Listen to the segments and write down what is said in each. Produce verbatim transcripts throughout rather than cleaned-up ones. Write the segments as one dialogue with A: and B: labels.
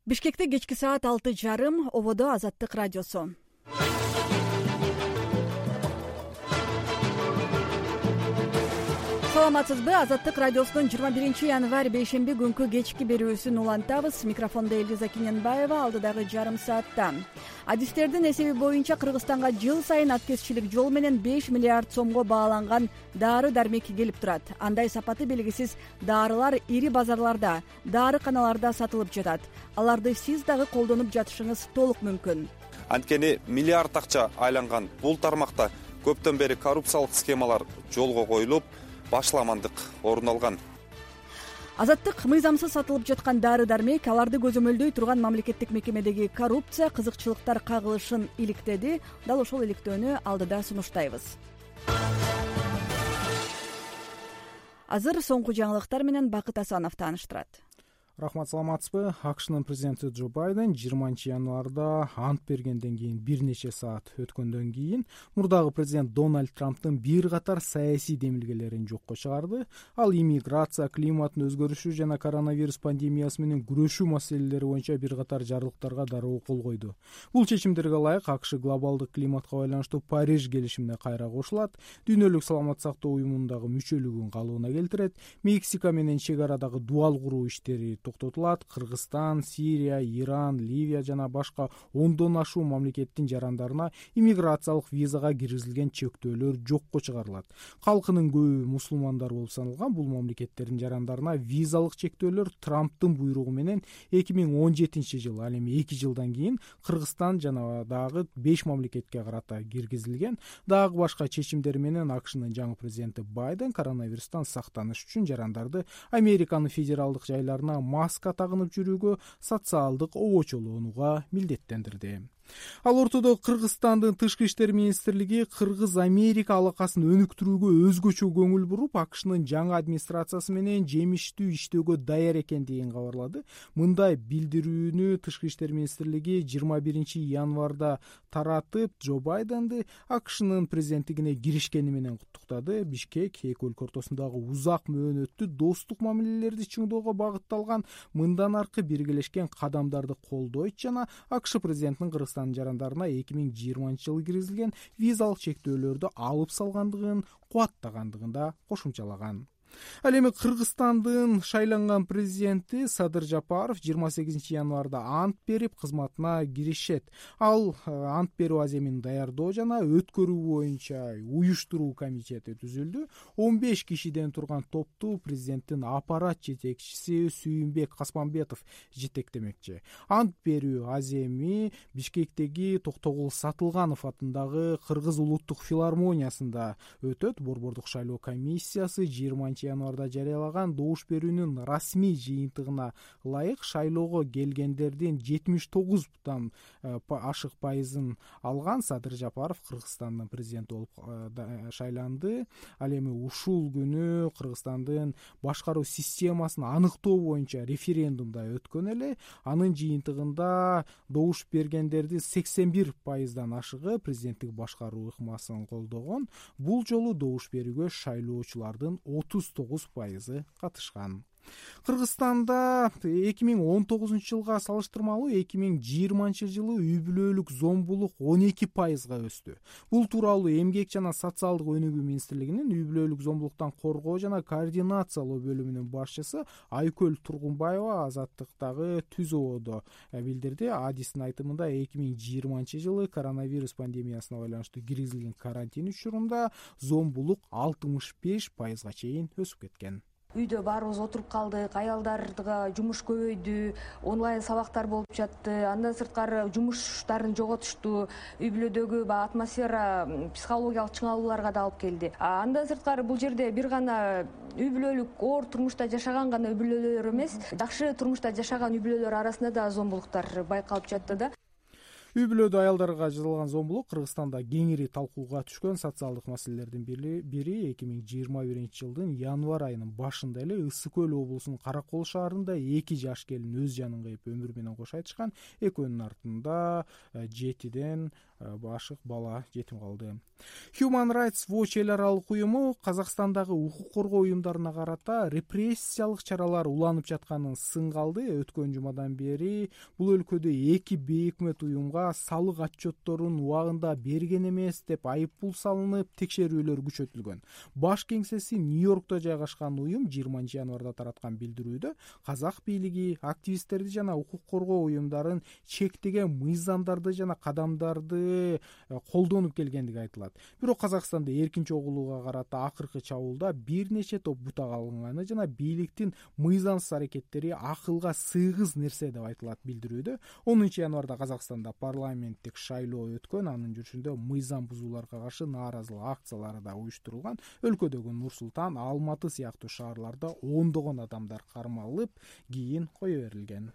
A: Бишкекте кечки саат алты жарым, ободо Азаттык радиосу. Саламатсызбы? Азаттык радиосунун жыйырма биринчи январь бейшемби күнкү кечки берүүсүн улантабыз. Микрофондо Элиза Киненбаева. Алдыдагы жарым саатта адистердин эсеби боюнча Кыргызстанга жыл сайын аткезчилик жол менен беш миллиард сомго бааланган дары дармек келип турат. Андай сапаты белгисиз дарылар ири базарларда, дарыканаларда сатылып жатат. Аларды сиз дагы колдонуп жатышыңыз толук мүмкүн.
B: Анткени миллиард акча айланган бул тармакта көптөн бери коррупциялык схемалар жолго коюлуп, башламандык орун алган.
A: Азаттык мыйзамсыз сатылып жаткан дары дармек аларды көзөмөлдөй турган мамлекеттик мекемедеги коррупция, кызыкчылыктар кагылышын иликтеди. Дал ошол иликтөөнү алдыда сунуштайбыз. Азыр соңку жаңылыктар менен Бакыт Асанов тааныштырат.
C: Рахмат, саламатсызбы? АКШнын президенти Джо Байден жыйырманчы январда ант бергенден кийин бир нече саат өткөндөн кийин мурдагы президент Дональд Трамптын бир катар саясий демилгелерин жокко чыгарды. Ал иммиграция, климаттын өзгөрүшү жана коронавирус пандемиясы менен күрөшүү маселелери боюнча бир катар жарлыктарга дароо кол койду. Бул чечимдерге ылайык АКШ глобалдык климатка байланыштуу Париж келишимине кайра кошулат, Дүйнөлүк саламаттык сактоо уюмундагы мүчөлүгүн калыбына келтирет, Мексика менен чек арадагы дубал куруу иштери токтотулат, Кыргызстан, Сирия, Иран, Ливия жана башка ондон ашуун мамлекеттин жарандарына иммиграциялык визага киргизилген чектөөлөр жокко чыгарылат. Калкынын көбү мусулмандар болуп саналган бул мамлекеттердин жарандарына визалык чектөөлөр Трамптын буйругу менен эки миң он жетинчи жылы, ал эми эки жылдан кийин Кыргызстан жана дагы беш мамлекетке карата киргизилген. Дагы башка чечимдер менен АКШнын жаңы президенти Байден коронавирустан сактаныш үчүн жарандарды Американын федералдык жайларына маска тагынып жүрүүгө, социалдык обочолоонууга милдеттендирди. Ал ортодо Кыргызстандын тышкы иштер министрлиги Кыргыз-Америка алакасын өнүктүрүүгө өзгөчө көңүл буруп, АКШнын жаңы администрациясы менен жемиштүү иштөөгө даяр экендигин кабарлады. Мындай билдирүүнү тышкы иштер министрлиги жыйырма биринчи январда таратып, Джо Байденди АКШнын президенттигине киришкени менен куттуктады. Бишкек эки өлкө ортосундагы узак мөөнөттүү достук мамилелерди чыңдоого багытталган мындан аркы биргелешкен кадамдарды колдойт жана АКШ президентинин Кыргызстан жарандарына эки миң жыйырманчы жылы киргизилген визалык чектөөлөрдү алып салгандыгын, кубаттагандыгын да кошумчалаган. Ал эми Кыргызстандын шайланган президенти Садыр Жапаров жыйырма сегизинчи январда ант берип кызматына киришет. Ал ант берүү аземин даярдоо жана өткөрүү боюнча уюштуруу комитети түзүлдү. он беш кишиден турган топту президенттин аппарат жетекчиси Сүйүнбек Каспамбетов жетектемекчи. Ант берүү аземи Бишкектеги Токтогул Сатылганов атындагы Кыргыз улуттук филармониясында өтөт. Борбордук шайлоо комиссиясы жыйырманчы январда жарыялаган добуш берүүнүн расмий жыйынтыгына ылайык шайлоого келгендердин жетимиш тогуздан ашык пайызын алган Садыр Жапаров Кыргызстандын президенти болуп шайланды. Ал эми ушул күнү Кыргызстандын башкаруу системасын аныктоо боюнча референдумда өткөн эле. Анын жыйынтыгында добуш бергендердин сексен бир пайыздан ашыгы президенттик башкаруу ыкмасын колдогон. Бул жолу добуш берүүгө шайлоочулардын отуз тогуз пайызы катышкан. Кыргызстанда эки миң он тогузунчу жылга салыштырмалуу эки миң жыйырманчы жылы үй бүлөлүк зомбулук он эки пайызга өстү. Бул тууралуу Эмгек жана социалдык өнүгүү министрлигинин үй бүлөлүк зомбулуктан коргоо жана координациялоо бөлүмүнүн башчысы Айкөл Тургунбаева Азаттыктагы түз ободо билдирди. Адистин айтымында эки миң жыйырманчы жылы коронавирус пандемиясына байланыштуу киргизилген карантин учурунда зомбулук алтымыш беш пайызга чейин өсүп кеткен.
D: Үйдө баарыбыз отуруп калдык, аялдарга жумуш көбөйдү, онлайн сабактар болуп жатты. Андан сырткары жумуштарын жоготушту, үй бүлөдөгү баягы атмосфера психологиялык чыңалууларга да алып келди. Андан сырткары бул жерде бир гана үй бүлөлүк оор турмушта жашаган гана үй бүлөлөр эмес, жакшы турмушта жашаган үй бүлөлөр арасында да зомбулуктар байкалып жатты да.
C: үй бүлөдө аялдарга жасалган зомбулук Кыргызстанда кеңири талкууга түшкөн социалдык маселелердин бири эки миң жыйырма биринчи жылдын январь айынын башында эле Ысык Көл облусунун Каракол шаарында эки жаш келин өз жанын кыйып өмүрү менен кош айтышкан. Экөөнүн артында жетиден башык бала жетим калды. Human Rights Watch эл аралык уюму Казакстандагы укук коргоо уюмдарына карата репрессиялык чаралар уланып жатканын сынга алды. Өткөн жумадан бери бул өлкөдө эки бейөкмөт уюмга салык отчетторун убагында берген эмес деп айыппул салынып, текшерүүлөр күчөтүлгөн. Баш кеңсеси Нью-Йоркто жайгашкан уюм жыйырманчы январда тараткан билдирүүдө казак бийлиги активисттерди жана укук коргоо уюмдарын чектеген мыйзамдарды жана кадамдарды колдонуп келгендиги айтылат. Бирок Казакстанда эркин чогулууга карата акыркы чабуулда бир нече топ бутак алынганы жана бийликтин мыйзамсыз аракеттери акылга сыйгыз нерсе деп айтылат билдирүүдө. онунчу январда Казакстанда парламенттик шайлоо өткөн, анын жүрүшүндө мыйзам бузууларга каршы нааразылык акциялары да уюштурулган. Өлкөдөгү Нур Султан, Алматы сыяктуу шаарларда ондогон адамдар кармалып, кийин кое берилген.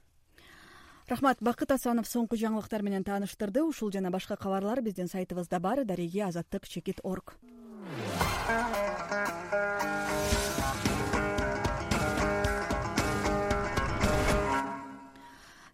A: Рахмат. Бакыт Асанов соңку жаңылыктар менен тааныштырды. Ушул жана башка кабарлар биздин сайтыбызда бар. Дареги азаттык чекит точка орг.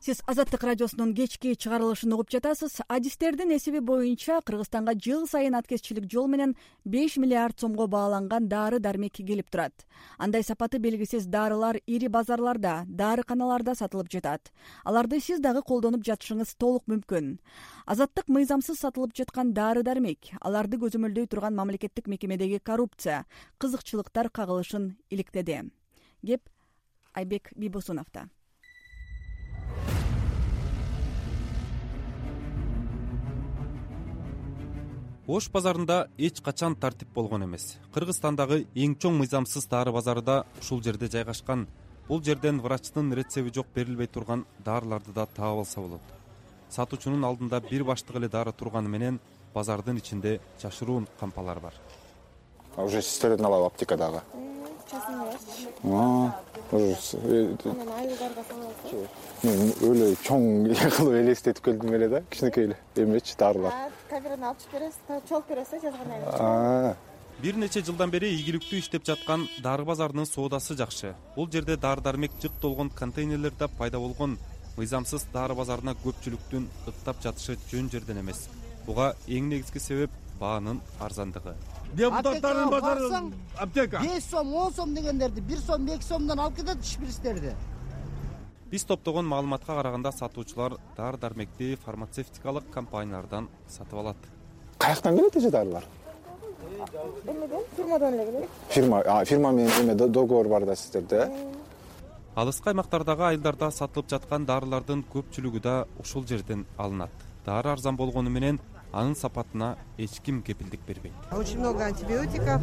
A: Сиз Азаттык радиосунун кечки чыгарылышын угуп жатасыз. Адистердин эсеби боюнча Кыргызстанга жыл сайын аткезчилик жол менен беш миллиард сомго бааланган дары-дармек келип турат. Андай сапаты белгисиз дарылар ири базарларда, дарыканаларда сатылып жатат. Аларды сиз дагы колдонуп жатышыңыз толук мүмкүн. Азаттык мыйзамсыз сатылып жаткан дары-дармек, аларды көзөмөлдөй турган мамлекеттик мекемедеги коррупция, кызыкчылыктар кагылышын иликтеди. Кеп Айбек Бибосуновдо.
B: Ош базарында эч качан тартип болгон эмес. Кыргызстандагы эң чоң мыйзамсыз дары базары да ушул жерде жайгашкан. Бул жерден врачтын рецеби жок берилбей турган дарыларды да таап алса болот. Сатуучунун алдында бир баштык эле дары турганы менен базардын ичинде жашыруун кампалар бар.
E: А уже сестерден алабы аптекадагы?
F: Честно
E: А, уже
F: айылдарга саласыз.
E: Мен өлө чоң кылып элестетип келдим эле да, кичинекей эле эмечи дарылар.
F: Камераны алып чыгып бересиз, чогулуп бересиз жазган.
B: Бир нече жылдан бери ийгиликтүү иштеп жаткан дары базарынын соодасы жакшы. Бул жерде дары-дармек жык толгон контейнерлерде пайда болгон мыйзамсыз дары базарына көпчүлүктүн ыктап жатышы жөн жерден эмес. Буга эң негизги себеп баанын арзандыгы.
G: Депутаттардын базары аптека
H: беш сом, он сом дегендерди бир сом, эки сомдон алып кетет шприцтерди.
B: Биз топтогон маалыматка караганда сатуучулар дары-дармекти фармацевтикалык компаниялардан сатып алат.
E: Каяктан келет эже дарылар?
F: Эмеден, фирмадан эле келет.
E: Фирма, а фирма менен эме договор бар да сиздерде?
B: Алыскы аймактардагы айылдарда сатылып жаткан дарылардын көпчүлүгү да ушул жерден алынат. Дары арзан болгону менен анын сапатына эч ким кепилдик бербейт.
I: Очень много антибиотиков.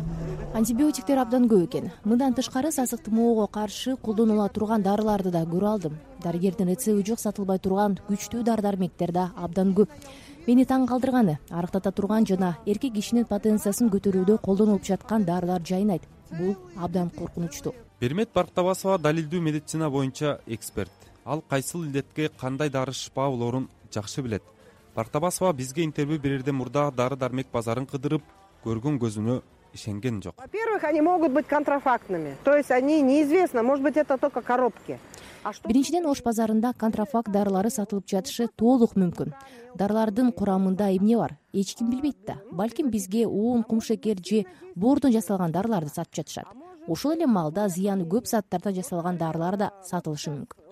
J: Антибиотиктер абдан көп экен. Мындан тышкары сасык тумоого каршы колдонула турган дарыларды да көрө алдым. Дарыгердин рецеби жок сатылбай турган күчтүү дары-дармектер да абдан көп. Мени таң калтырганы, арыктата турган жана эркек кишинин потенциясын көтөрүүдө колдонулуп жаткан дарылар жайнайт. Бул абдан коркунучтуу.
B: Бермет Барктабасова далилдүү медицина боюнча эксперт. Ал кайсыл илдетке кандай дары шыпа болорун жакшы билет. Барктабасова бизге интервью берерден мурда дары-дармек базарын кыдырып, көргөн көзүнө ишенген жок.
I: Во-первых, они могут быть контрафактными. То есть они неизвестно, может быть, это только коробки.
J: Биринчиден, Ош базарында контрафакт дарылары сатылып жатышы толук мүмкүн. Дарылардын курамында эмне бар? Эч ким билбейт да. Балким бизге уун, кумшекер же боордон жасалган дарыларды сатып жатышат. Ошол эле маалда зыяны көп заттардан жасалган дарылар да сатылышы мүмкүн.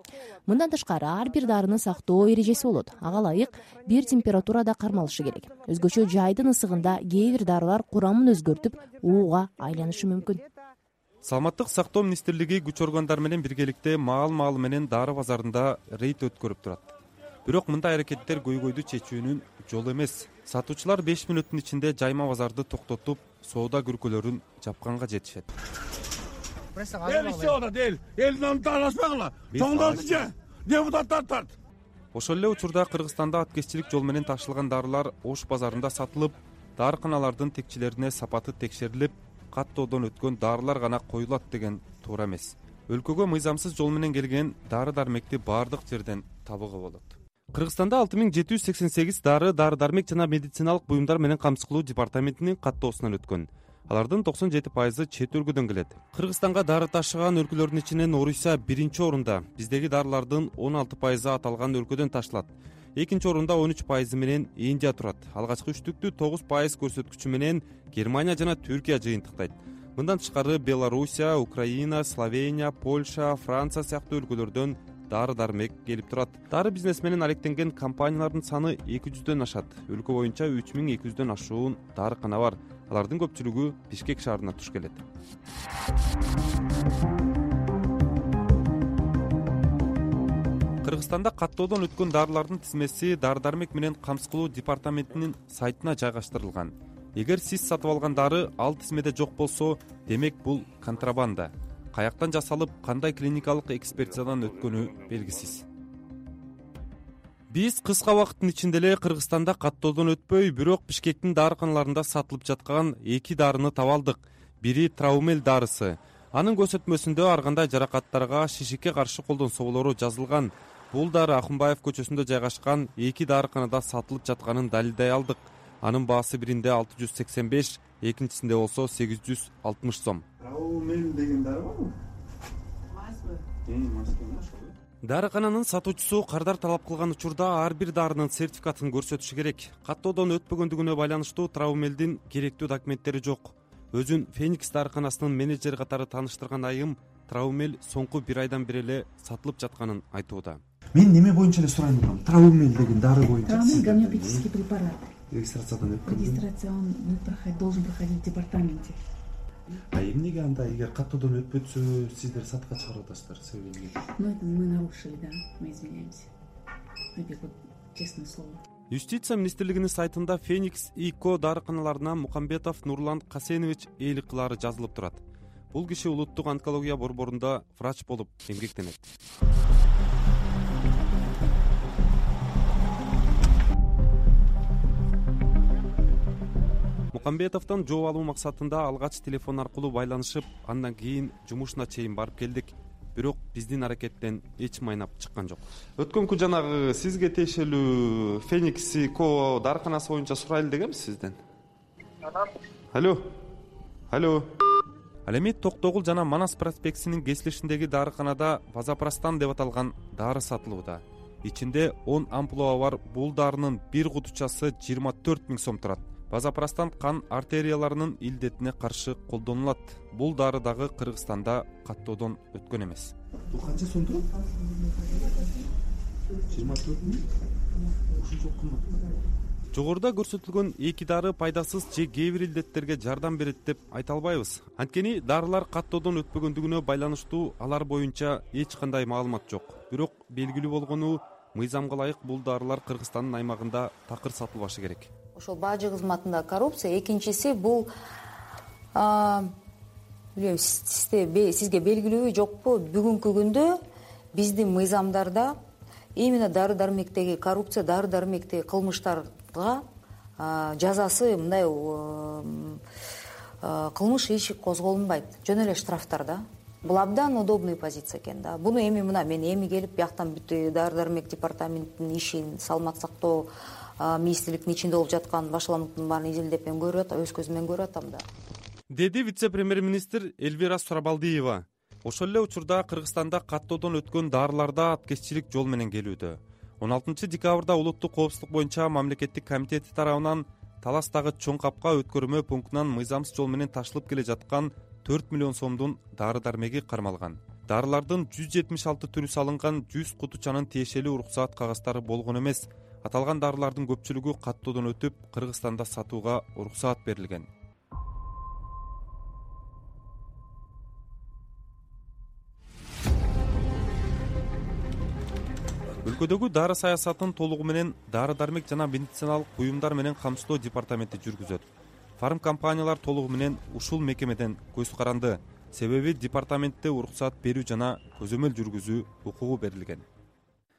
J: Мындан тышкары ар бир дарыны сактоо эрежеси болот. Ага ылайык бир температурада кармалышы керек. Өзгөчө жайдын ысыгында кээ бир дарылар курамын өзгөртүп, ууга айланышы мүмкүн.
B: Саламаттык сактоо министрлиги күч органдар менен биргеликте маал-маал менен дары базарында рейд өткөрүп турат. Бирок мындай аракеттер көйгөйдү чечүүнүн жолу эмес. Сатуучулар беш мүнөттүн ичинде жайма базарды токтотуп, соода күркөлөрүн жапканга жетишет.
G: Эл иште эл, элдин таалашпагыла. Тоңдорду же, депутаттар тарт.
B: Ошол эле учурда Кыргызстанда аткезчилик жол менен ташылган дарылар Ош базарында сатылып, дарыканалардын текчилерине сапаты текшерилип, каттоодон өткөн дарылар гана коюлат деген туура эмес. Өлкөгө мыйзамсыз жол менен келген дары-дармекти баардык жерден табууга болот. Кыргызстанда алты миң жети жүз сексен сегиз дары, дары дармек жана медициналык буюмдар менен камсыз кылуу департаментинин каттоосунан өткөн. Алардын токсон жети пайызы чет өлкөдөн келет. Кыргызстанга дары ташыган өлкөлөрдүн ичинен Орусия биринчи орунда. Биздеги дарылардын он алты пайызы аталган өлкөдөн ташылат. Экинчи орунда он үч пайызы менен Индия турат. Алгачкы үчтүктү тогуз пайыз көрсөткүчү менен Германия жана Түркия жыйынтыктайт. Мындан тышкары Белоруссия, Украина, Словения, Польша, Франция сыяктуу өлкөлөрдөн дары дармек келип турат. Дары бизнес менен алектенген компаниялардын саны эки жүздөн ашат. Өлкө боюнча үч миң эки жүздөн ашуун дарыкана бар. Алардын көпчүлүгү Бишкек шаарына туш келет. Кыргызстанда каттоодон өткөн дарылардын тизмеси дары дармек менен камсыз кылуу департаментинин сайтына жайгаштырылган. Эгер сиз сатып алган дары ал тизмеде жок болсо, демек бул контрабанда. Каяктан жасалып, кандай клиникалык экспертизадан өткөнү белгисиз. Биз кыска убакыттын ичинде эле Кыргызстанда каттоодон өтпөй, бирок Бишкектин дарыканаларында сатылып жаткан эки дарыны таба алдык. Бири Траумель дарысы. Анын көрсөтмөсүндө ар кандай жаракаттарга шишикке каршы колдонсо болору жазылган. Бул дары Акунбаев көчөсүндө жайгашкан эки дарыканада сатылып жатканын далилдей алдык. Анын баасы биринде алты жүз сексен беш, экинчисинде болсо сегиз жүз алтымыш сом.
G: Траумель деген дары барбы?
B: Дарыкананын сатуучусу кардар талап кылган учурда ар бир дарынын сертификатын көрсөтүшү керек. Каттоодон өтпөгөндүгүнө байланыштуу Траумелдин керектүү документтери жок. Өзүн Феникс дарыканасынын менеджери катары тааныштырган айым Траумель соңку бир айдан бери эле сатылып жатканын айтууда.
K: Мен неме боюнча эле сурайм турам. Траумель деген дары боюнча.
L: Траумель гомеопатический препарат.
K: Регистрациядан өткөн.
L: Регистрация он должен проходить в департаменте.
K: А эмнеге анда эгер каттоодон өтпөсө сиздер сатка чыгарып атасыздар? Себеби эмне?
L: Ну это мы нарушили, да. Мы извиняемся. Это вот честное слово.
B: Юстиция министрлигинин сайтында Феникс ИКО дарыканаларына Мукамбетов Нурлан Касенович ээлик кылаары жазылып турат. Бул киши улуттук онкология борборунда врач болуп эмгектенет. Мукамбетовдон жооп алуу максатында алгач телефон аркылуу байланышып, андан кийин жумушуна чейин барып келдик. Бирок биздин аракеттен эч майнап чыккан жок. Өткөнкү жанагы сизге тиешелүү Феникс ИКО дарыканасы боюнча сурайлы дегенбиз сизден. Алло. Алло. Ал эми Токтогул жана Манас проспектисинин кесилишиндеги дарыканада Вазапрастан деп аталган дары сатылууда. Ичинде он ампула бар. Бул дарынын бир кутучасы жыйырма төрт миң сом турат. Вазапрастан кан артерияларынын илдетине каршы колдонулат. Бул дары дагы Кыргызстанда каттоодон өткөн эмес.
K: Бул канча сом турат? жыйырма төрт миң. Ушунча кымбат.
B: Жогоруда көрсөтүлгөн эки дары пайдасыз же кээ бир илдеттерге жардам берет деп айта албайбыз. Анткени дарылар каттоодон өтпөгөндүгүнө байланыштуу алар боюнча эч кандай маалымат жок. Бирок белгилүү болгону, мыйзамга ылайык бул дарылар Кыргызстандын аймагында такыр сатылбашы керек.
M: Ошол бажы кызматында коррупция, экинчиси бул билем сизге белгилүүбү жокпу, бүгүнкү күндө биздин мыйзамдарда именно дары дармектеги коррупция, дары дармектеги кылмыштарга жазасы мындай кылмыш иши козголунбайт. Жөн эле штрафтар да. Бул абдан удобный позиция экен да. Буну эми мына мен эми келип бияктан бүт дары дармек департаментинин ишин, саламат сактоо министрликтин ичинде болуп жаткан башаламдын баарын изилдеп мен көрүп атам, өз көзүм менен көрүп атам да.
B: Деди вице-премьер-министр Эльвира Сурабалдиева. Ошол эле учурда Кыргызстанда каттоодон өткөн дарыларда апкеччилик жол менен келүүдө. он алтынчы декабрда улуттук коопсуздук боюнча мамлекеттик комитети тарабынан Таластагы чоң капка өткөрмө пунктунан мыйзамсыз жол менен ташылып келе жаткан төрт миллион сомдун дары дармеги кармалган. Дарылардын жүз жетимиш алты түрү салынган жүз кутучанын тиешелүү уруксаат кагаздары болгон эмес. Аталган дарылардын көпчүлүгү каттоодон өтүп, Кыргызстанда сатууга уруксаат берилген. Өлкөдөгү дары саясатын толугу менен дары дармек жана медициналык буюмдар менен камсыздоо департаменти жүргүзөт. Фарм компаниялар толугу менен ушул мекемеден көз каранды. Себеби департаментте уруксаат берүү жана көзөмөл жүргүзүү укугу берилген.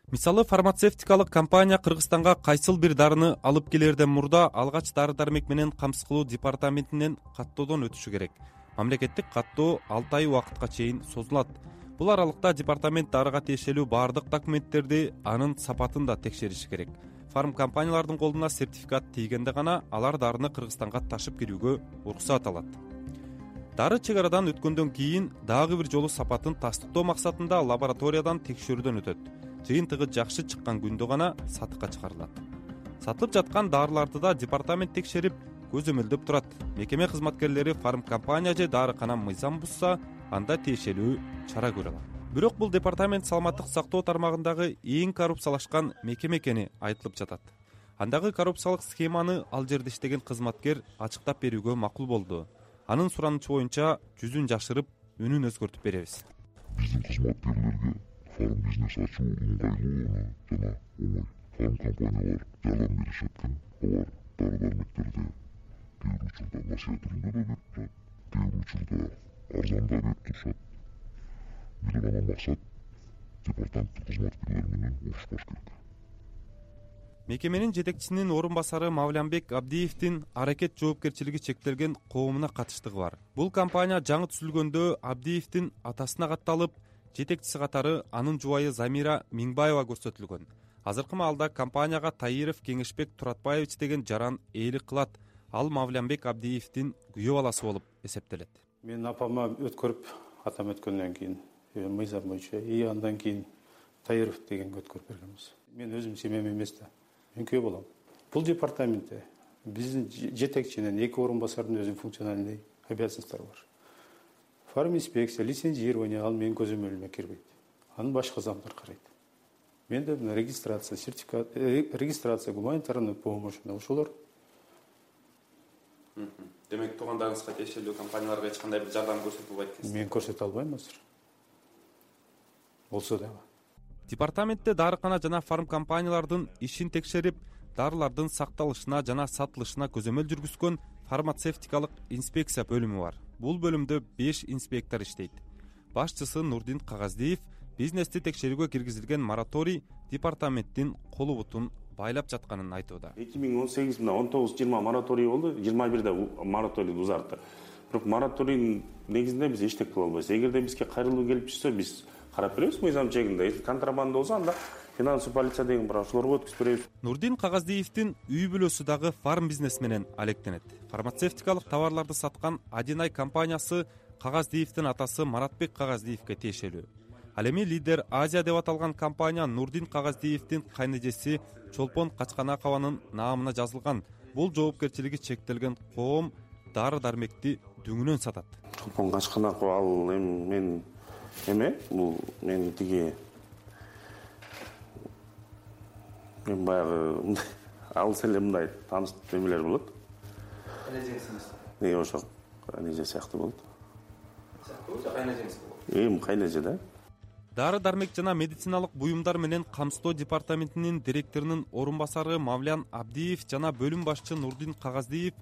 B: Мисалы, фармацевтикалык компания Кыргызстанга кайсыл бир дарыны алып келерден мурда алгач дары дармек менен камсыз кылуу департаментинен каттоодон өтүшү керек. Мамлекеттик каттоо алты ай убакытка чейин созулат. Бул аралыкта департамент дарыга тиешелүү баардык документтерди, анын сапатын да текшериши керек. Фарм компаниялардын колуна сертификат тийгенде гана алар дарыны Кыргызстанга ташып кирүүгө уруксат алат. Дары чек арадан өткөндөн кийин дагы бир жолу сапатын тастыктоо максатында лабораториядан текшерүүдөн өтөт. Жыйынтыгы жакшы чыккан күндө гана сатыкка чыгарылат. Сатылып жаткан дарыларды да департамент текшерип, көзөмөлдөп турат. Мекеме кызматкерлери фарм компания же дарыкана мыйзам бузса, анда тиешелүү чара көрө алат. Бирок бул департамент саламаттык сактоо тармагындагы эң коррупциялашкан мекеме экени айтылып жатат. Андагы коррупциялык схеманы ал жерде иштеген кызматкер ачыктап берүүгө макул болду. Анын суранычы боюнча жүзүн жашырып, үнүн өзгөртүп беребиз.
N: Биздин кызматкерлерге фарм бизнес ачуу ыңгайлуу жана оңой. Фарм компаниялар жардам беришет экен. Алар дары-дармектерди кээ бир учурда насыя түрүндө да берип турат, кээ бир учурда арзан да берип турушат. Бир гана максат департаменттин кызматкерлери менен урушпаш керек.
B: Мекеменин жетекчисинин орун басары Мавлянбек Абдиевдин аракет жоопкерчилиги чектелген коомуна катыштыгы бар. Бул компания жаңы түзүлгөндө Абдиевдин атасына катталып, жетекчиси катары анын жубайы Замира Миңбаева көрсөтүлгөн. Азыркы маалда компанияга Таиров Кеңешбек Туратбаевич деген жаран ээлик кылат. Ал Мавлянбек Абдиевдин күйөө баласы болуп эсептелет.
O: Мен апама өткөрүп, атам өткөндөн кийин мыйзам боюнча и андан кийин Таиров дегенге өткөрүп бергенбиз. Мен өзүм семьям эмес да. Мен күйөө болом. Бул департаментте биздин жетекчинин эки орун басардын өзүнүн функциональный обязанностьтары бар. Фарминспекция, лицензирование ал менин көзөмөлүмө кирбейт. Аны башка замдар карайт. Менде мына регистрация, сертификат, регистрация, гуманитарный помощь, ошолор.
B: Демек, туугандарыңызга тиешелүү компанияларга эч кандай бир жардам көрсөтүлбөйт экенсиз.
O: Мен көрсөтө албайм азыр. Болсо дагы.
B: Департаментте дарыкана жана фарм компаниялардын ишин текшерип, дарылардын сакталышына жана сатылышына көзөмөл жүргүзгөн фармацевтикалык инспекция бөлүмү бар. Бул бөлүмдө беш инспектор иштейт. Башчысы Нурдин Кагаздиев бизнести текшерүүгө киргизилген мораторий департаменттин колу бутун байлап жатканын айтууда.
P: эки миң он сегиз мына он тогуз жыйырма мораторий болду, жыйырма бирде мораторий узартты. Бирок мораторийдин негизинде биз эчтеке кыла албайбыз. Эгерде бизге кайрылуу келип түшсө, биз карап беребиз мыйзам чегинде. Если контрабанда болсо, анда финансовый полиция деген бар, ошолорго өткүзүп беребиз.
B: Нурдин Кагаздиевдин үй бүлөсү дагы фарм бизнес менен алектенет. Фармацевтикалык товарларды саткан Адинай компаниясы Кагаздиевдин атасы Маратбек Кагаздиевге тиешелүү. Ал эми Лидер Азия деп аталган компания Нурдин Кагаздиевдин кайнэжеси Чолпон Качканакованын наамына жазылган. Бул жоопкерчилиги чектелген коом дары-дармекти дүңүнөн сатат.
P: Чолпон Качканакова ал эми мен эме, бул мен тиги мен баягы алыс эле мындай тааныш эмелер болот.
B: Кайнэжеңиз?
P: Э, ошо кайнэже сыяктуу болот.
B: Сыяктуу же кайнэжеңиз болот?
P: Эми кайнэже да.
B: Дары-дармек жана медициналык буюмдар менен камсыздоо департаментинин директорунун орун басары Мавлян Абдиев жана бөлүм башчы Нурдин Кагаздиев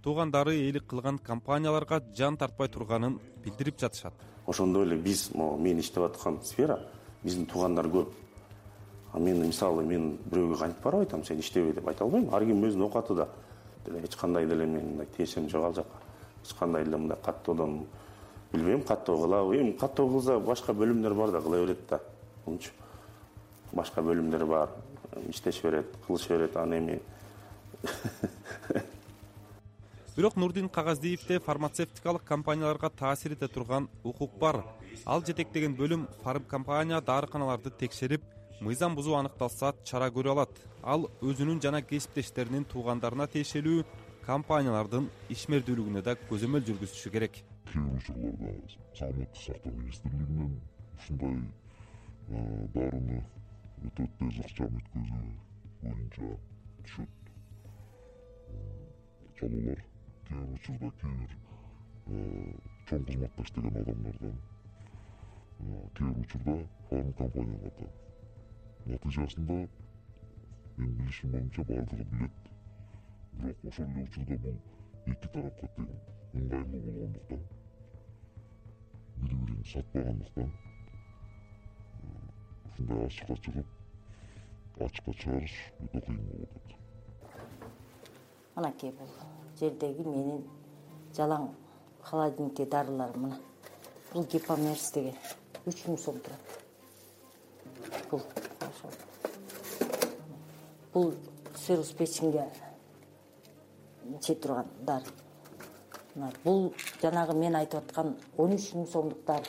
B: туугандары ээлик кылган компанияларга жан тартпай турганын билдирип жатышат.
P: Ошондой эле биз, мен иштеп аткан сфера, биздин туугандар көп. А мен мисалы мен бирөөгө кантип барып айтам, сен иштебей деп айта албайм. Ар ким өзүнүн окатыда. Эч кандай деле мен мындай тиешем жок ал жака. Эч кандай деле мындай каттоодон билбейм, каттоо кылабы. Эми каттоо кылса башка бөлүмдөр бар да, кыла берет да. Ончу башка бөлүмдөр бар, иштеш берет, кылыш берет, аны эми.
B: Бирок Нурдин Кагаздиевде фармацевтикалык компанияларга таасир эте турган укук бар. Ал жетектеген бөлүм фарм компания дарыканаларды текшерип, мыйзам бузуу аныкталса чара көрө алат. Ал өзүнүн жана кесиптештеринин туугандарына тиешелүү компаниялардын ишмердүүлүгүнө да көзөмөл жүргүзүшү керек.
N: Кээ бир учурларда саламаттык сактоо министрлигинен ушундай дарыны өтө тез акча өткөзүү боюнча түшөт чалуулар. Кээ бир учурда кээ бир чоң кызматта иштеген адамдардан, кээ бир учурда фарм компаниялардан. Натыйжасында мен билишим боюнча баардыгы билет. Бирок ошол эле учурда бул эки тарапка тең ыңгайлуу болгондуктан, бири-бирин сатпагандыктан ушундай ачыкка чыгып, ачыкка чыгарыш өтө кыйын болуп атат.
Q: Анакей бул жердеги менин жалаң холодильникте дарыларым мына. Бул Гипомерс деген. үч миң сом турат. Бул ошол. Бул сырус печенге иче турган дары. Бул жанагы мен айтып аткан он үч миң сомдук дары.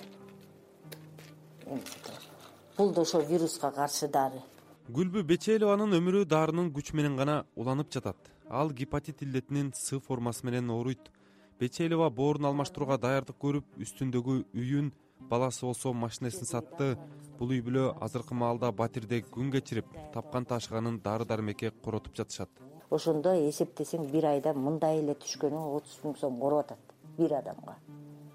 Q: Бул да ошо вируска каршы дары.
B: Гүлбү Бечелованын өмүрү дарынын күчү менен гана уланып жатат. Ал гепатит илдетинин С формасы менен ооруйт. Бечелова боорун алмаштырууга даярдык көрүп, үстүндөгү үйүн, баласы болсо машинесин сатты. Бул үй бүлө азыркы маалда батирде күн кечирип, тапкан ташыганын дары-дармекке коротуп жатышат.
Q: Ошондо эсептесең бир айда мындай эле түшкөнү отуз миң сом короп атат бир адамга.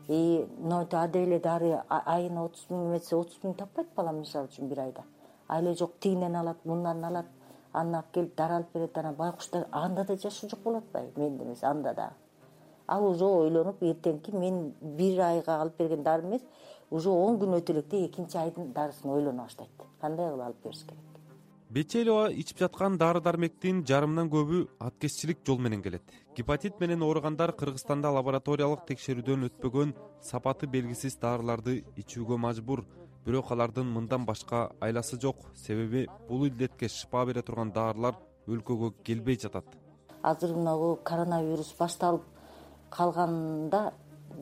Q: И нойту ада эле дары айына отуз миң эметсе отуз миң таппайт балам мисалы үчүн бир айда. Айле жок тигинен алат, мындан алат, анан алып келип дары алып берет, анан байкуштар анда да жашоо жок болуп атпайбы? Менде эмес, анда да. Ал уже ойлонуп эртеңки мен бир айга алып берген дары эмес, уже он күн өтө электе экинчи айдын дарысын ойлоно баштайт. Кандай кылып алып бериш керек?
B: Бечелова ичип жаткан дары-дармектин жарымынан көбү аткезчилик жол менен келет. Гепатит менен ооругандар Кыргызстанда лабораториялык текшерүүдөн өтпөгөн, сапаты белгисиз дарыларды ичүүгө мажбур. Бирок алардын мындан башка айласы жок. Себеби бул илдетке шыпа бере турган дарылар өлкөгө келбей жатат.
Q: Азыр мына коронавирус башталып калганда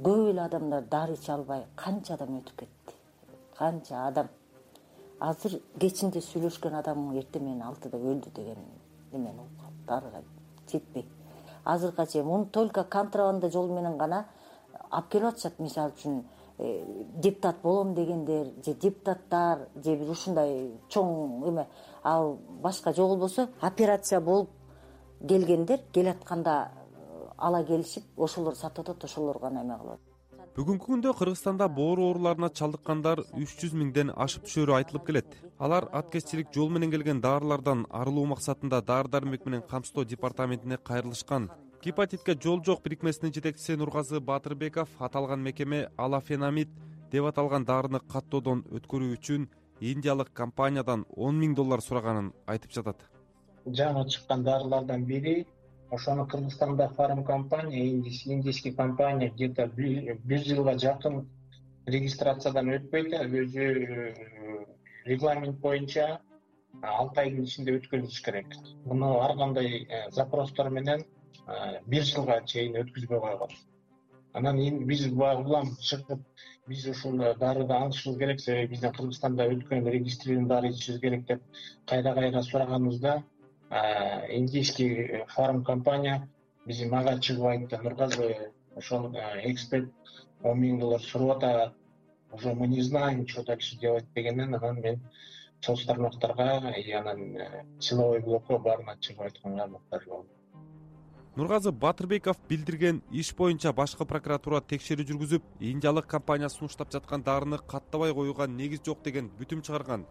Q: көп эле адамдар дары иче албай канча адам өтүп кетти. Канча адам. Азыр кечинде сүйлөшкөн адамың эртең менен алтыда өлдү деген эмени угам. Дарыга жетпей. Азыркыга чейин муну только контрабанда жол менен гана алып келип атышат. Мисалы үчүн депутат болом дегендер, же депутаттар, же бир ушундай чоң эме, ал башка жол болбосо операция болуп келгендер келатканда ала келишип, ошолор сатып атат, ошолор гана эме кылат.
B: Бүгүнкү күндө Кыргызстанда боору ооруларына чалдыккандар үч жүз миңден ашып түшөрү айтылып келет. Алар аткезчилик жол менен келген дарылардан арылуу максатында дары-дармек менен камсыздоо департаментине кайрылышкан. Гепатитке жол жок бирикмесинин жетекчиси Нургазы Батырбеков аталган мекеме алафенамид деп аталган дарыны каттоодон өткөрүү үчүн индиялык компаниядан он миң доллар сураганын айтып жатат.
R: Жаңы чыккан дарылардан бири ошону Кыргызстанда фарм компания, индийский компания где-то бир жылга жакын регистрациядан өтпөйт, өзү регламент боюнча алты айдын ичинде өткөрүлүш керек. Муну ар кандай запростор менен бир жылга чейин өткүзбөй койгон. Анан эми биз улам чыгып, биз ушул дарыды алышыбыз керек, себеби биздин Кыргызстанда өткөн регистрированный дары ичишибиз керек деп кайра-кайра сураганыбызда индийский фарм компания биз мага чыгып айтты: Нургазы, ошол эксперт он миң доллар сурап атат, уже мы не знаем, что дальше делать дегенден анан мен соц тармактарга и анан силовой блокко баарына чыгып айтканга муктаж болдум.
B: Нургазы Батырбеков билдирген иш боюнча башкы прокуратура текшерүү жүргүзүп, индиялык компания сунуштап жаткан дарыны каттабай коюуга негиз жок деген бүтүм чыгарган.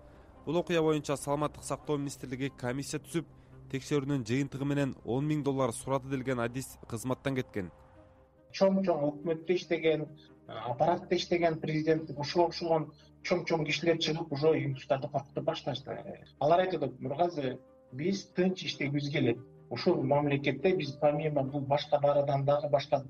B: Бул окуя боюнча Саламаттык сактоо министрлиги комиссия түзүп, текшерүүнүн жыйынтыгы менен он миң доллар сурады делген адис кызматтан кеткен.
R: Чоң-чоң өкмөттө иштеген, аппаратта иштеген президент ушуга окшогон чоң-чоң кишилер чыгып уже юлуштарды коркутуп башташты. Алар айтат: Нургазы, биз тынч иштегибиз келет. Ушул мамлекетте биз помимо бул башка дарыдан дагы башка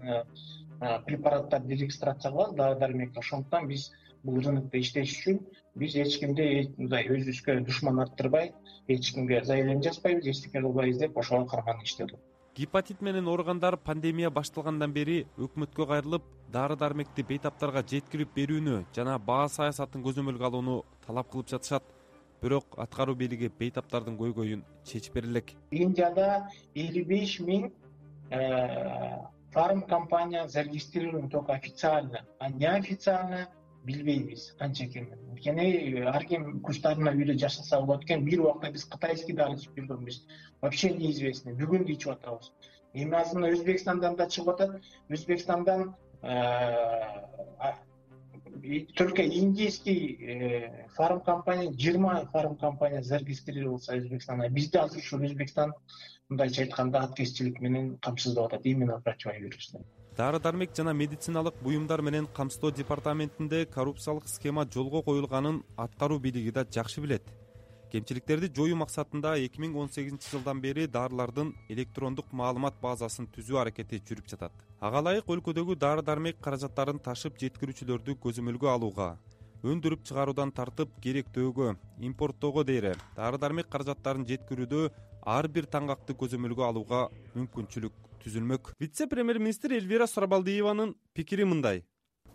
R: препараттарды регистрация кылабыз, дары-дармек. Ошондуктан биз бул рынокто иштеш үчүн биз эч кимди мындай өзүбүзгө душман арттырбай, эч кимге заявление жазбайбыз, эчтеке кылбайбыз деп ошого карман иштеди.
B: Гепатит менен ооругандар пандемия башталгандан бери өкмөткө кайрылып, дары-дармекти бейтаптарга жеткирип берүүнү жана баа саясатын көзөмөлгө алууну талап кылып жатышат. Бирок аткаруу бийлиги бейтаптардын көйгөйүн чечип бере элек.
R: Индияда элүү беш миң фарм компания зарегистрирован только официально, а неофициально билбейбиз канча экенин. Анткени ар ким куштарына үйдө жашаса болот экен. Бир убакта биз кытайский дары ичип жүргөнбүз. Вообще неизвестно. Бүгүн ичип атабыз. Эми азыркы Өзбекстандан да чыгып атат. Өзбекстандан только индийский фарм компания, жыйырма фарм компания зарегистрировался Өзбекстанда. Бизде азыр ушул Өзбекстан мындайча айтканда аткезчилик менен камсыздап атат именно противовирусный.
B: Дары-дармек жана медициналык буюмдар менен камсыздоо департаментинде коррупциялык схема жолго коюлганын аткаруу бийлиги да жакшы билет. Кемчиликтерди жоюу максатында эки миң он сегизинчи жылдан бери дарылардын электрондук маалымат базасын түзүү аракети жүрүп жатат. Ага ылайык өлкөдөгү дары-дармек каражаттарын ташып жеткирүүчүлөрдү көзөмөлгө алууга, өндүрүп чыгаруудан тартып керектөөгө, импорттоого дейре дары дармек каражаттарын жеткирүүдө ар бир таңгакты көзөмөлгө алууга мүмкүнчүлүк түзүлмөк. Вице-премьер-министр Элвира Сурабалдиеванын пикири мындай.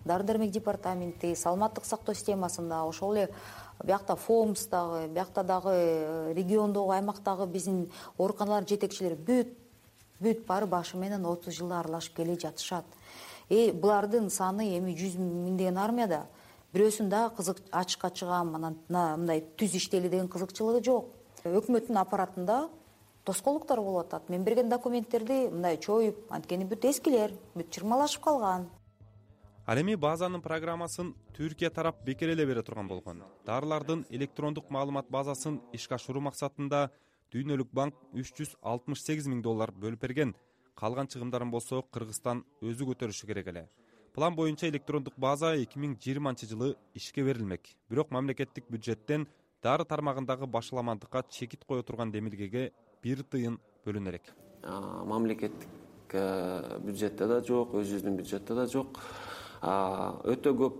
M: Дары дармек департаменти, саламаттык сактоо системасында, ошол эле биякта ФОМСдагы, биякта дагы региондогу, аймактагы биздин ооруканалар жетекчилери бүт бүт бары башы менен отуз жылда аралашып келе жатышат. Э булардын саны эми жүз миңдеген армияда бирөөсүн дагы кызык ачыкка чыгам, анан мындай түз иштели деген кызыкчылыгы жок. Өкмөттүн аппаратында тоскоолдуктар болуп атат. Мен берген документтерди мындай чоюп, анткени бүт эскилер, бүт чырмалашып калган.
B: Ал эми базанын программасын Түркия тарап бекер эле бере турган болгон. Дарылардын электрондук маалымат базасын ишке ашыруу максатында Дүйнөлүк банк үч жүз алтымыш сегиз миң доллар бөлүп берген. Калган чыгымдарын болсо Кыргызстан өзү көтөрүшү керек эле. План боюнча электрондук база эки миң жыйырманчы жылы ишке берилмек. Бирок мамлекеттик бюджеттен дары тармагындагы башаламандыкка чекит кое турган демилгеге бир тыйын бөлүнө элек.
S: Мамлекеттик бюджетте да жок, өзүбүздүн бюджетте да жок. Өтө көп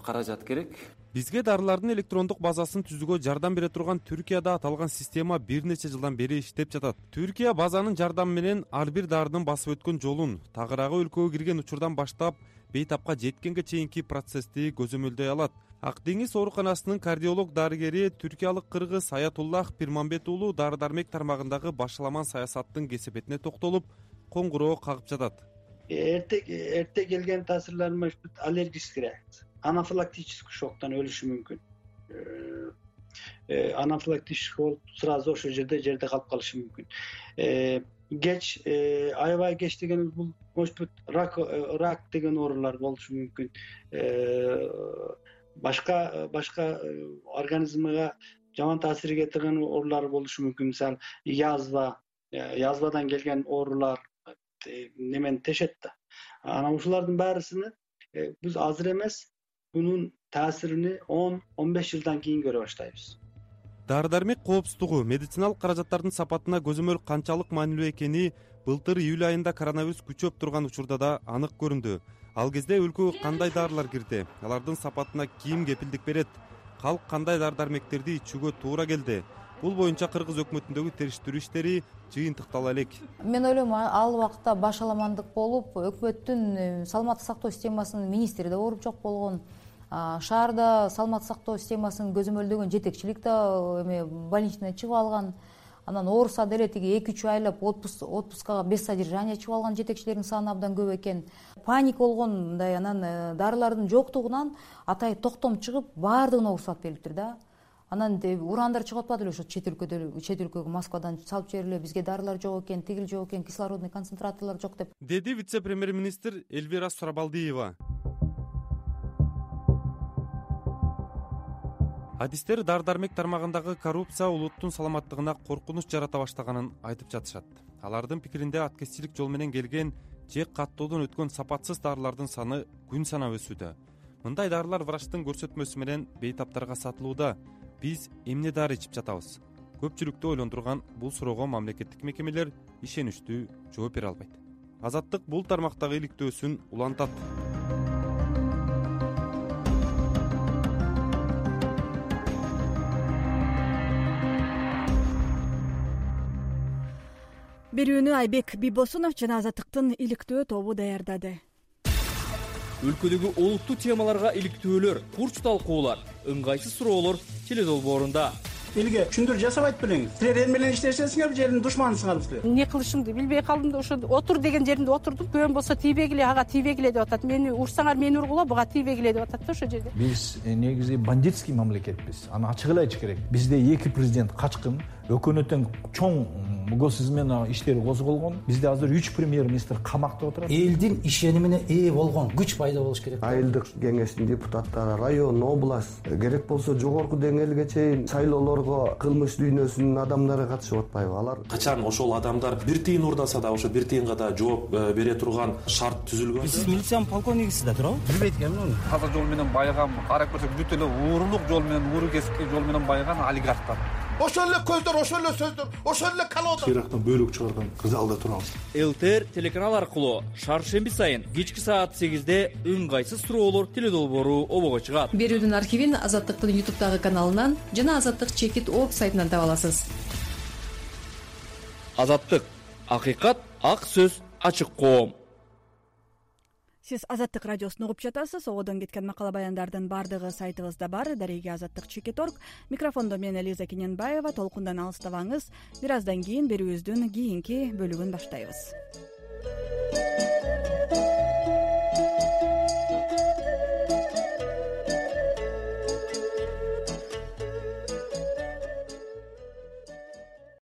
S: каражат керек.
B: Бизге дарылардын электрондук базасын түзүүгө жардам бере турган Түркияда аталган система бир нече жылдан бери иштеп жатат. Түркия базанын жардамы менен ар бир дарынын басып өткөн жолун, тагыраагы өлкөгө кирген учурдан баштап бейтапка жеткенге чейинки процессти көзөмөлдөй алат. Ак деңиз ооруканасынын кардиолог дарыгери түркиялык кыргыз Аятуллах Пирмамбет уулу дары дармек тармагындагы башаламан саясаттын кесепетине токтолуп, коңгуроо кагып жатат.
R: Эрте эрте келген таасирлер аллергический реакция, анафилактический шоктон өлүшү мүмкүн. Анафилактический болуп сразу ошол жерде жерде калып калышы мүмкүн. Кеч, аябай кеч дегенибиз бул может быть рак рак деген оорулар болушу мүмкүн. Башка башка организмге жаман таасир кетирген оорулар болушу мүмкүн. Мисалы, язва, язвадан келген оорулар немени тешет да. Анан ушулардын баарысыны биз азыр эмес, бунун таасирини он он беш жылдан кийин көрө баштайбыз.
B: Дары дармек коопсуздугу, медициналык каражаттардын сапатына көзөмөл канчалык маанилүү экени былтыр июль айында коронавирус күчөп турган учурда да анык көрүндү. Ал кезде өлкөгө кандай дарылар кирди, алардын сапатына ким кепилдик берет, калк кандай дары дармектерди ичүүгө туура келди. Бул боюнча Кыргыз өкмөтүндөгү териштирүү иштери жыйынтыктала элек.
M: Мен ойлойм, ал убакта башаламандык болуп, өкмөттүн саламаттык сактоо системасынын министри да ооруп жок болгон. Шаарда саламаттык сактоо системасын көзөмөлдөгөн жетекчилик да эме больничный чыгып алган. Анан ооруса деле тиги эки үч айлап отпускага без содержания чыгып алган жетекчилердин саны абдан көп экен. Паник болгон мындай, анан дарылардын жоктугунан атай токтом чыгып, баардыгына уруксат берилиптир да. Анан урандар чыгып атпады эле ошо чет өлкөдө, чет өлкөгө Москвадан салып жибериле, бизге дарылар жок экен, тигил жок экен, кислородный концентраторлор жок деп.
B: Деди вице-премьер-министр Элвира Сурабалдиева. Адистер дары дармек тармагындагы коррупция улуттун саламаттыгына коркунуч жарата баштаганын айтып жатышат. Алардын пикиринде аткезчилик жол менен келген же каттоодон өткөн сапатсыз дарылардын саны күн санап өсүүдө. Мындай дарылар врачтын көрсөтмөсү менен бейтаптарга сатылууда. Биз эмне дары ичип жатабыз? Көпчүлүктү ойлондурган бул суроого мамлекеттик мекемелер ишеничтүү жооп бере албайт. Азаттык бул тармактагы иликтөөсүн улантат.
A: Берүүнү Айбек Бибосунов жана Азаттыктын иликтөө тобу даярдады.
T: Өлкөдөгү олуттуу темаларга иликтөөлөр, курч талкуулар, ыңгайсыз суроолор теледолбоорунда.
H: Элге түшүндүр жасабайт белеңиз. Силер эл менен иштешесиңер, жердин душманысыңар силер.
U: Эмне кылышымды билбей калдым да ошо отур деген жеринде отурдум. Көөм болсо тийбегиле, ага тийбегиле деп атат. Мени урсаңар мени ургула, буга тийбегиле деп атат да ошо жерде.
V: Биз негизи бандитский мамлекетпиз. Аны ачык эле айтыш керек. Бизде эки президент качкын, өкмөттөн чоң госизмена иштери козголгон. Бизде азыр үч премьер-министр камакта отурат.
W: Элдин ишенимине ээ болгон күч пайда болуш керек.
X: Айылдык кеңештин депутаттары, район, область, керек болсо жогорку деңгээлге чейин шайлоолорго кылмыш дүйнөсүнүн адамдары катышып атпайбы? Алар
Y: качан ошол адамдар бир тыйын урдаса да ошо бир тыйынга да жооп бере турган шарт түзүлгөн.
W: Сиз милициянын полковнигисиз да туурабы?
Z: Билбейт экенмин. Таза жол менен байыган, карап көрсөк бүт эле уурулук жол менен, ууру кесипки жол менен байыган олигархтар.
C: ошол эле көздөр, ошол эле сөздөр, ошол эле колода.
K: Ирактан бөлүк чыгарган залда турабыз.
T: ЛТР телеканал аркылуу шаршемби сайын кечки саат сегизде ыңгайсыз суроолор теле долбоору обого чыгат.
D: Берүүдүн архивин Азаттыктын ютубтагы каналынан жана Азаттык чекит орг сайтынан таба аласыз.
T: Азаттык, акыйкат, ак сөз, ачык коом.
A: Сиз Азаттык радиосун угуп жатасыз. Ободон кеткен макала баяндардын баардыгы сайтыбызда бар. Дареги Азаттык чекит орг. Микрофондо мен Элиза Кененбаева. Толкундан алыстабаңыз. Бир аздан кийин берүүбүздүн кийинки бөлүгүн баштайбыз.